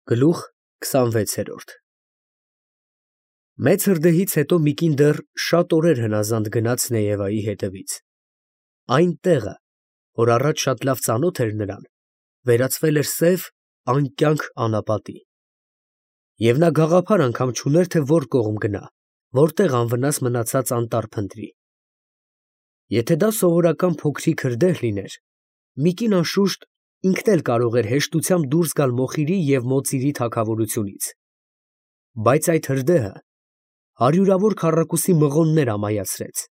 Գլուխ 26 Մեծ հրդեհից հետո Միկին դեռ շատ օրեր հնազանդ գնաց Նեևայի հետևից. այն տեղը, որ առաջ շատ լավ ծանոթ էր նրան, վերածվել էր սև, անկյանք անապատի, և նա գաղափար անգամ չուներ, թե որ կողմ գնա, որտեղ անվնաս մնացած անտառ փնտրի. եթե դա սովորական փոքրիկ հրդեհ լիներ, Միկին անշուշտ ինքն էլ կարող էր հեշտությամբ դուրս գալ մոխիրի և մոծիրի թագավորությունից, բայց այդ հրդեհը հարյուրավոր քառակուսի մղոններ ամայացրեց,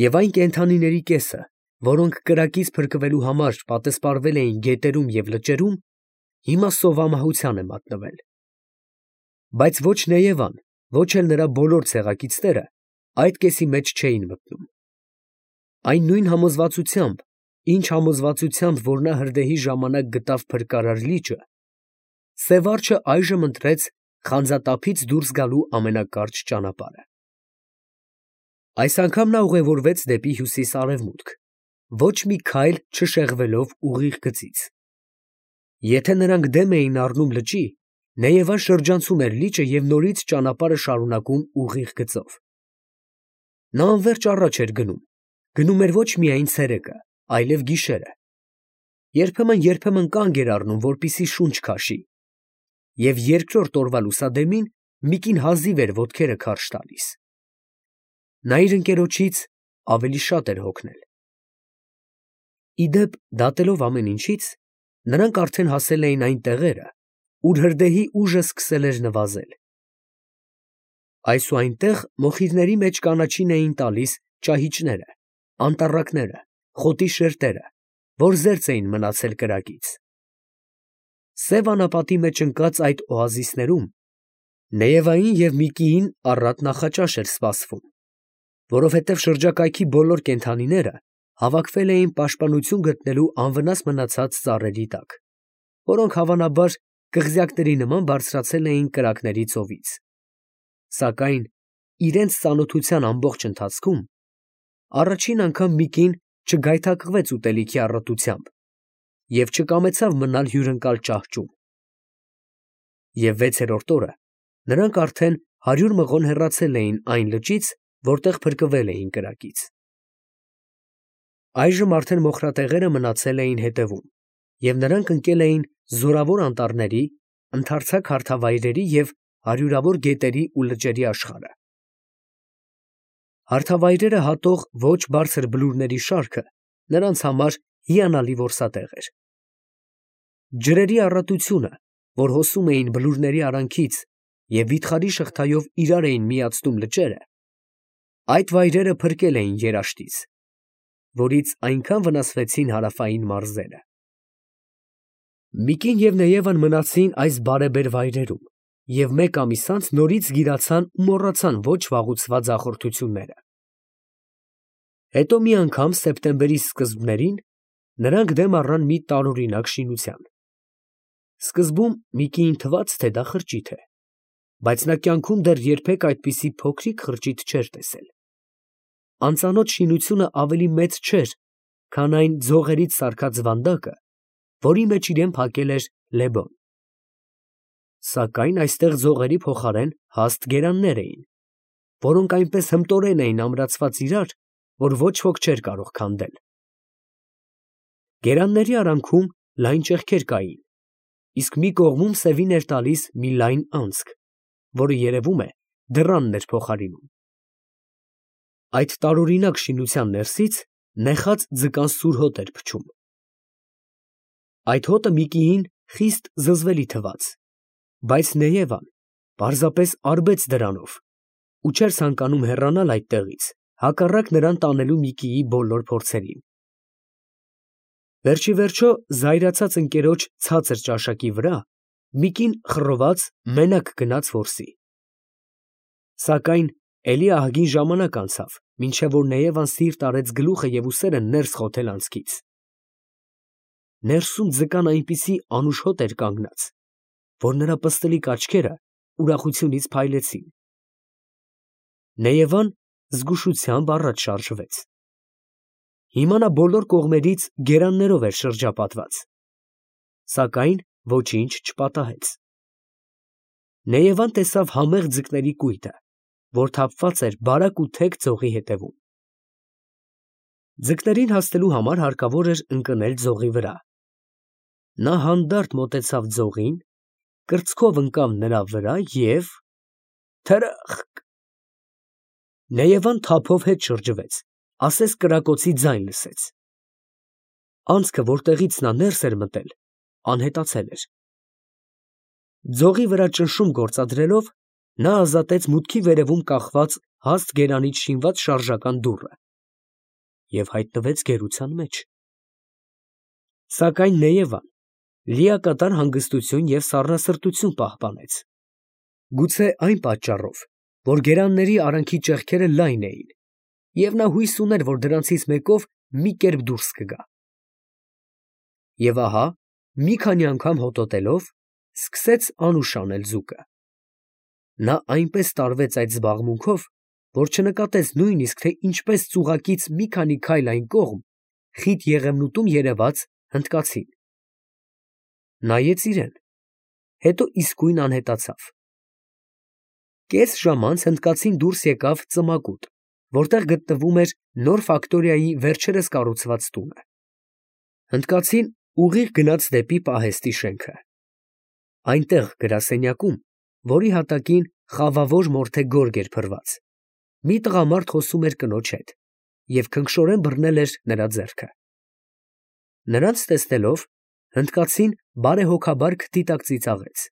և այն կենդանիների կեսը, որոնք կրակից փրկվելու համար պատսպարվել էին գետերում և լճերում, հիմա սովամահության է մատնվել. բայց ոչ Նեևան, ոչ էլ նրա բոլոր ցեղակիցները այդ կեսի մեջ չէին մտնում. այն նույն համոզվածությամբ, ինչ համոզվածությամբ, որ նա հրդեհի ժամանակ գտավ փրկարար լիճը, սև արջը այժմ ընտրեց խանձատափից դուրս գալու ամենակարճ ճանապարհը. այս անգամ նա ուղևորվեց դեպի հյուսիս֊արևմուտք, ոչ մի քայլ չշեղվելով ուղիղ գծից. եթե նրանք դեմ էին առնում լճի, Նեևան շրջանցում էր լիճը և նորից ճանապարհը շարունակում ուղիղ գծով. նա անվերջ առաջ էր գնում էր ոչ միայն ցերեկը, այլև գիշերը, երբեմն կանգ էր առնում, որպեսզի շունչ քաշի, և երկրորդ օրվա լուսադեմին Միկին հազիվ էր ոտքերը քարշ տալիս. նա իր ընկերոջից ավելի շատ էր հոգնել։ Ի դեպ, դատելով ամեն ինչից, նրանք արդեն հասել էին այն տեղերը, ուր հրդեհի ուժը սկսել էր նվազել. այսուայնտեղ մոխիրների մեջ կանաչին էին տալիս ճահիճները, անտառակները, խոտի շերտերը, որ զերծ էին մնացել կրակից։ Սև անապատի մեջ ընկած այդ օազիսներում Նեևային և Միկիին առատ նախաճաշ էր սպասվում, որովհետև շրջակայքի բոլոր կենդանիները հավաքվել էին պաշտպանություն գտնելու անվնաս մնացած ծառերի տակ, որոնք հավանաբար կղզյակների նման բարձրացել էին կրակների ծովից, սակայն իրենց ծանոթության ամբողջ ընթացքում առաջին անգամ Միկին չգայթակղվեց ուտելիքի առատությամբ և չկամեցավ մնալ հյուրընկալ ճահճում, և վեցերորդ օրը նրանք արդեն 100 մղոն հեռացել էին այն լճից, որտեղ փրկվել էին կրակից։ Այժմ արդեն մոխրատեղերը մնացել էին հետևում, և նրանք ընկել էին զորավոր անտառների, ընդարձակ հարթավայրերի և հարյուրավոր գետերի ու լճերի աշխարհը։ Հարթավայրերը հատող ոչ բարձր բլուրների շարքը նրանց համար հիանալի որսատեղ էր։ Ջրերի առատությունը, որ հոսում էին բլուրների արանքից և վիթխարի շղթայով իրար էին միացնում լճերը, այդ վայրերը փրկել էին երաշտից, որից այնքան վնասվեցին հարավային մարզերը։ Միկին և Նեևան մնացին այս բարեբեր վայրերում և մեկ ամիս անց նորից գիրացան ու մոռացան ոչ վաղուցված հաղորդությունները։ Հետո մի անգամ սեպտեմբերի սկզբներին նրանք դեմ առան մի տարօրինակ շինության։ Սկզբում Միկիին թվաց, թե դա խրճիթ է, բայց նա կյանքում դեռ երբեք այդպիսի փոքրիկ խրճիթ չէր տեսել։ Անծանոթ շինությունը ավելի մեծ չէր, քան այն ձողերից սարքած վանդակը, որի մեջ իրան փակել էր Լեբոն։ Սակայն այստեղ ձողերի փոխարեն հաստ գերաններ էին, որոնք այնպես հմտորեն էին ամրացված իրար, որ ոչ ոք չէր կարող քանդել։ Գերանների արանքում լայն ճեղքեր կային, իսկ մի կողմում սևին էր տալիս մի լայն անցք, որը երևում է դռանն էր փոխարինում։ Այդ տարօրինակ շինության ներսից նեխած ձկան սուր հոտ էր փչում։ Այդ հոտը Միկիին խիստ զզվելի թվաց, բայց Նեևան պարզապես արբեց դրանով ու չէր ցանկանում հեռանալ այդտեղից, հակառակ նրան տանելու Միկիի բոլոր փորձերին։ Վերջիվերջո, զայրացած ընկերոջ ցածր ճաշակի վրա Միկին խռոված մենակ գնաց որսի։ Սակայն էլի ահագին ժամանակ անցավ, մինչև որ Նեևան սիրտ արեց գլուխը և ուսերը ներս խոթել անցքից։ Ներսում ձկան այնպիսի անուշ հոտ էր կանգնած, որ նրա պստլիկ աչքերը ուրախությունից փայլեցին։ Նեևան զգուշությամբ առաջ շարժվեց։ Հիմա նա բոլոր կողմերից գերաններով էր շրջապատված, սակայն ոչինչ չպատահեց։ Նեևան տեսավ համեղ ձկների կույտը, որ թափված էր բարակ ու թեք ձողի հետևում։ Ձկներին հասնելու համար հարկավոր էր ընկնել ձողի վրա։ Նա հանդարտ մոտեցավ ձողին, կրծքով ընկավ նրա վրա և թրըխկ… Նեևան թափով հետ շրջվեց, ասես կրակոցի ձայն լսեց։ Անցքը, որտեղից նա ներս էր մտել, անհետացել էր։ Ձողի վրա ճնշում գործադրելով, նա ազատեց մուտքի վերևում կախված հաստ գերանից շինված շարժական դուռը և հայտնվեց գերության մեջ։ Սակայն Նեևան լիակատար հանգստություն և սառնասրտություն պահպանեց, գուցե այն պատճառով, որ գերանների արանքի ճեղքերը լայն էին, և նա հույս ուներ, որ դրանցից մեկով մի կերպ դուրս կգա։ Եվ ահա, մի քանի անգամ հոտոտելով, սկսեց անուշ անել ձուկը։ Նա այնպես տարվեց այդ զբաղմունքով, որ չնկատեց նույնիսկ, թե ինչպես ծուղակից մի քանի քայլ այն կողմ խիտ եղևնուտում երևաց հնդկացին։ Նայեց իրան, հետո իսկույն անհետացավ։ Կես ժամ անց հնդկացին դուրս եկավ ծմակուտ, որտեղ գտնվում էր նոր ֆակտորիայի վերջերս կառուցված տունը։ Հնդկացին ուղիղ գնաց դեպի պահեստի շենքը։ Այնտեղ գրասենյակում, որի հատակին խավավոր մորթե գորգ էր փռված, մի տղամարդ խոսում էր կնոջ հետ և քնքշորեն բռնել էր նրա ձեռքը։ Նրանց տեսնելով, հնդկացին բարեհոգաբար քթի տակ ծիծաղեց։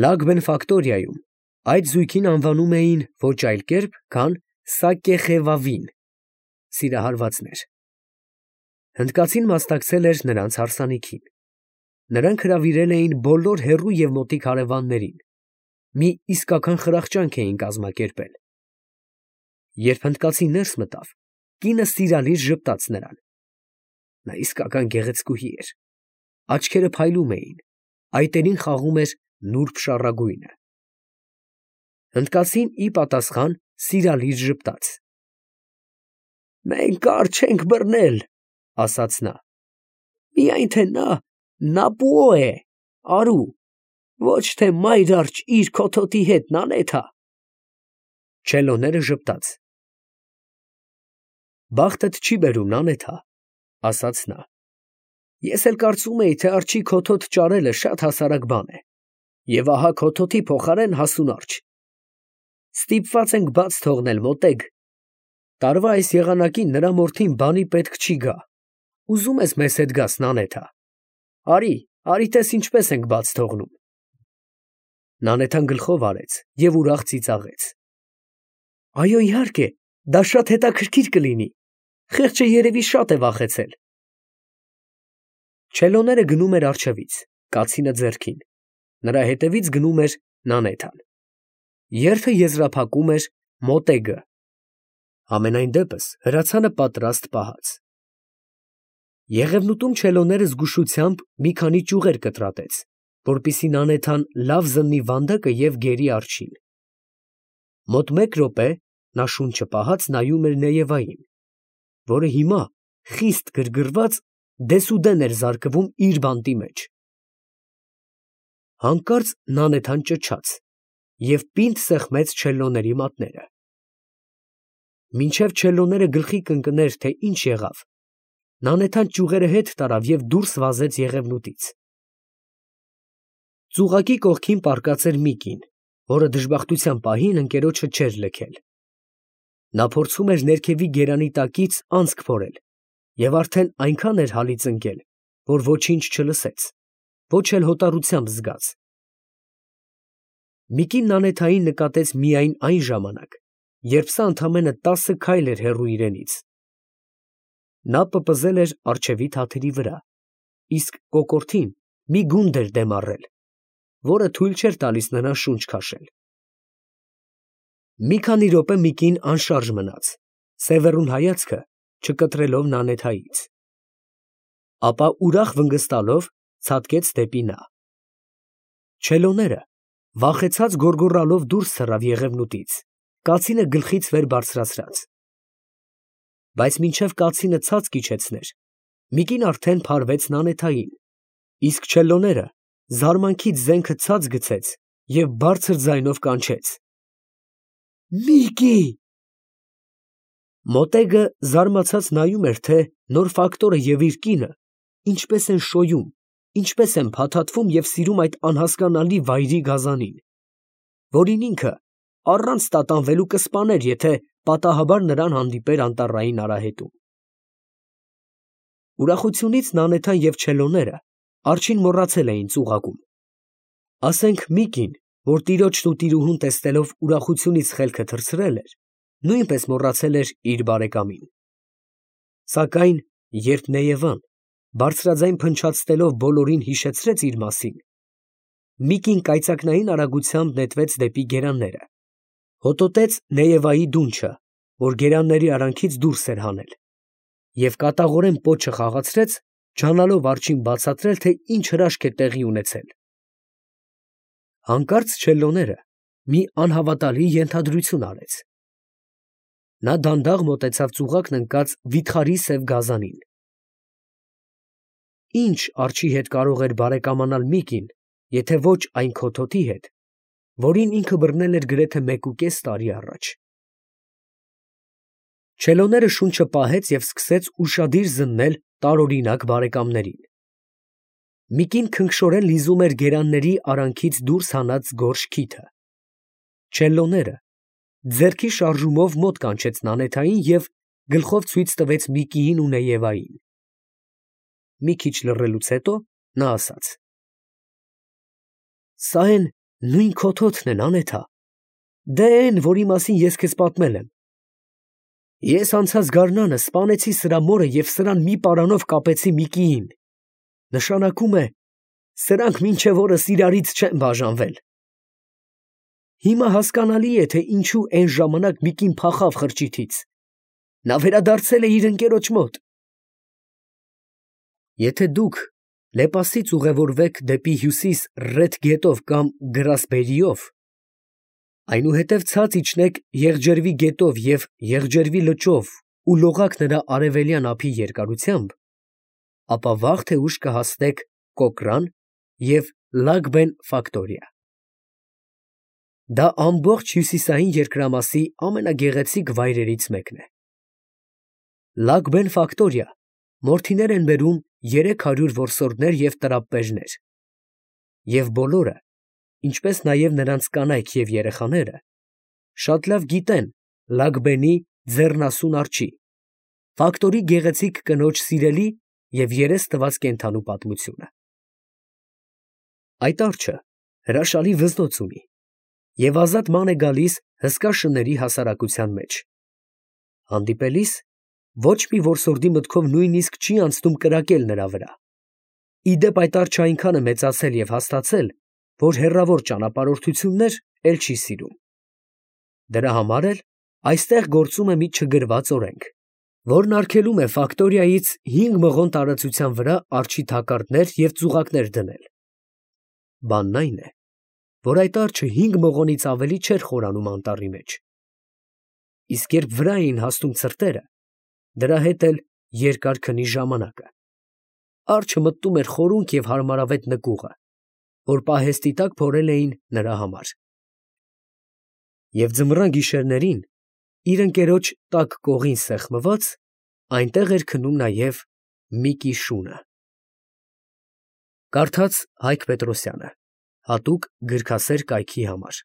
Լագբեն ֆակտորիայում այդ զույգին անվանում էին ոչ այլ կերպ, քան Սակեխևավին (սիրահարվածներ)։ Հնդկացին մասնակցել էր նրանց հարսանիքին։ Նրանք հրավիրել էին բոլոր հեռու և մոտիկ հարևաններին, մի իսկական խրախճանք էին կազմակերպել։ Երբ հնդկացին ներս մտավ, կինը սիրալիր ժպտաց նրան։ Նա իսկական գեղեցկուհի էր, աչքերը փայլում էին, այտերին խաղում էր նուրբ շառագույնը։ Հնդկացին ի պատասխան սիրալիր ժպտաց։ «Մենք կարճ չենք բռնել, ֊ ասաց նա, ֊ միայն թե նա Նապուո է, արու, ոչ թե մայր արջ իր քոթոտի հետ, Նանեթա»։ Չելոները ժպտաց։ «Բախտդ չի բերում, Նանեթա, ֊ ասաց նա, ֊ ես էլ կարծում էի, թե արջի քոթոտ ճարելը շատ հասարակ բան է, և ահա քոթոտի փոխարեն հասուն արջ։ Ստիպված ենք բաց թողնել, մոտեգ. տարվա այս եղանակին նրա մորթին բանի պետք չի գա, ուզում ես մեզ հետ գաս, Նանեթա, արի տես ինչպես ենք բաց թողնում։ Նանեթան գլխով արեց և ուրախ ծիծաղեց։ Այո, իհարկե, դա շատ հետաքրքիր կլինի, խեղճը երևի շատ է վախեցել։ Չելոները գնում էր առջևից, կացինը ձեռքին, նրա հետևից գնում էր Նանեթան։ Երթը եզրափակում էր մոտեգը։ Համենայն դեպս հրացանը պատրաստ պահած։ Եղևնուտում չելոները զգուշությամբ մի քանի ճյուղեր կտրատեց, որպեսզի Նանեթան լավ զննի վանդակը և գերի արջին։ Մոտ մեկ րոպե նա շունչը պահած նայում էր Նեևային, որը հիմա խիստ գրգռված դեսուդեն էր զարկվում իր բանտի մեջ։ Հանկարծ Նանեթան ճչաց և պինդ սեղմեց չելլոների մատները։ Մինչև չելլոները գլխի կընկներ, թե ինչ եղավ, Նանեթան ճյուղերը հետ տարավ և դուրս վազեց եղևնուտից։ Ծուղակի կողքին պառկած էր մի կին, որը դժբախտության պահին ընկերոջը չէր լքել։ Նա փորձում էր ներքևի գերանի տակից անցք փորել և արդեն այնքան էր հալից ընկել, որ ոչինչ չլսեց, ոչ էլ հոտառությամբ զգաց։ Միկին Նանեթային նկատեց միայն այն ժամանակ, երբ սա ընդամենը 10 քայլ էր հեռու իրենից։ Նա պպզել էր առջևի թաթերի վրա, իսկ կոկորդին մի գունդ էր դեմ առել, որը թույլ չէր տալիս նրան շունչ քաշել։ Մի քանի րոպե մի կին անշարժ մնաց, սևեռուն հայացքը չկտրելով Նանեթայից, ապա ուրախ վնգստալով ցատկեց դեպի նա։ Չելոները վախեցած գոռգոռալով դուրս թռավ եղևնուտից, կացինը գլխից վեր բարձրացրած։ Բայց մինչև կացինը ցած կիջեցներ, մի կին արդեն փարվեց Նանեթային, իսկ չելոները զարմանքից զենքը ցած գցեց և բարձր ձայնով կանչեց. «Միկի»։ Մոտեգը զարմացած նայում էր, թե նոր ֆակտորը և իր կինը ինչպես են շոյում, ինչպես են փաթաթվում և սիրում այդ անհասկանալի վայրի գազանին, որին ինքը առանց տատանվելու կսպաներ, եթե պատահաբար նրան հանդիպեր անտառային արահետում։ Ուրախությունից Նանեթան և չելոները արջին մոռացել էին ծուղակում։ Ասենք Միկին, որ տիրոջն ու տիրուհուն տեսնելով ուրախությունից խելքը թռցրել էր, նույնպես մոռացել էր իր բարեկամին։ Սակայն երբ Նեևան բարձրաձայն փնչացնելով բոլորին հիշեցրեց իր մասին, Միկին կայծակնային արագությամբ նետվեց դեպի գերանները, հոտոտեց Նեևայի դունչը, որ գերանների արանքից դուրս էր հանել, և կատաղորեն պոչը խաղացրեց, ջանալով արջին բացատրել, թե ինչ հրաշք է տեղի ունեցել։ Հանկարծ չելոները մի անհավատալի ենթադրություն արեց. նա դանդաղ մոտեցավ ծուղակն ընկած վիթխարի սև գազանին։ Ինչ արջի հետ կարող էր բարեկամանալ Միկին, եթե ոչ այն քոթոթի հետ, որին ինքը բռնել էր գրեթե 1.5 տարի առաջ։ Չելոները շունչը պահեց և սկսեց ուշադիր զննել տարօրինակ բարեկամներին։ Միկին քնքշորեն լիզում էր գերանների արանքից դուրս հանած գորշ քիթը։ Չելոները ձեռքի շարժումով մոտ կանչեց Նանեթային և գլխով ցույց տվեց Միկիին ու Նեևային։ Մի քիչ լռելուց հետո նա ասաց. «Սա էն նույն քոթոթն են, Անեթա, դե էն, որի մասին ես քեզ պատմել եմ։ Ես անցած գարնանը սպանեցի սրա մորը և սրան մի պարանով կապեցի Միկիին. նշանակում է, սրանք մինչև օրս իրարից չեն բաժանվել։ Հիմա հասկանալի է, թե ինչու էն ժամանակ Միկին փախավ խրճիթից. նա վերադարձել է իր ընկերոջ մոտ։ Եթե դուք Լեպասից ուղևորվեք դեպի հյուսիս Ռեդ գետով կամ Գրասբերիով, այնուհետև ցած իջնեք Եղջերվի գետով և Եղջերվի լճով ու լողաք նրա արևելյան ափի երկարությամբ, ապա վաղ թե ուշ կհասնեք Կոկրան և Լագբեն ֆակտորիա։ Դա ամբողջ հյուսիսային երկրամասի ամենագեղեցիկ վայրերից մեկն է։ Լագբեն ֆակտորիա մորթիներ են բերում 300 որսորդներ և տրապպեժներ, և բոլորը, ինչպես նաև նրանց կանայք և երեխաները, շատ լավ գիտեն Լագբենի ձեռնասուն արջի, ֆակտորի գեղեցիկ կնոջ սիրելի և երես տված կենդանու պատմությունը։ Այդ արջը հրաշալի վզնոց ունի և ազատ ման է գալիս հսկա շների հասարակության մեջ։ Հանդիպելիս ոչ մի որսորդի մտքով նույնիսկ չի անցնում կրակել նրա վրա։ Ի դեպ այդ արջը այնքան է մեծացել և հաստացել, որ հեռավոր ճանապարհորդություններ էլ չի սիրում։ Դրա համար էլ այստեղ գործում է մի չգրված օրենք, որն արգելում է ֆակտորիայից 5 մղոն տարածության վրա արջի թակարդներ և ծուղակներ դնել։ Բանն այն է, որ այդ արջը 5 մղոնից ավելի չէր խորանում անտառի մեջ։ Իսկ երբ վրա էին հասնում ցրտերը, դրա հետ էլ երկար քնի ժամանակը։ Արջը մտնում էր խորունկ և հարմարավետ նկուղը, որ պահեստի տակ փորել էին նրա համար։ Եվ ձմռան գիշերներին, իր ընկերոջ տաք կողին սեղմված, այնտեղ էր քնում նաև Միկի շունը։ Կարդաց Հայկ Պետրոսյանը, հատուկ գրքասեր կայքի համար։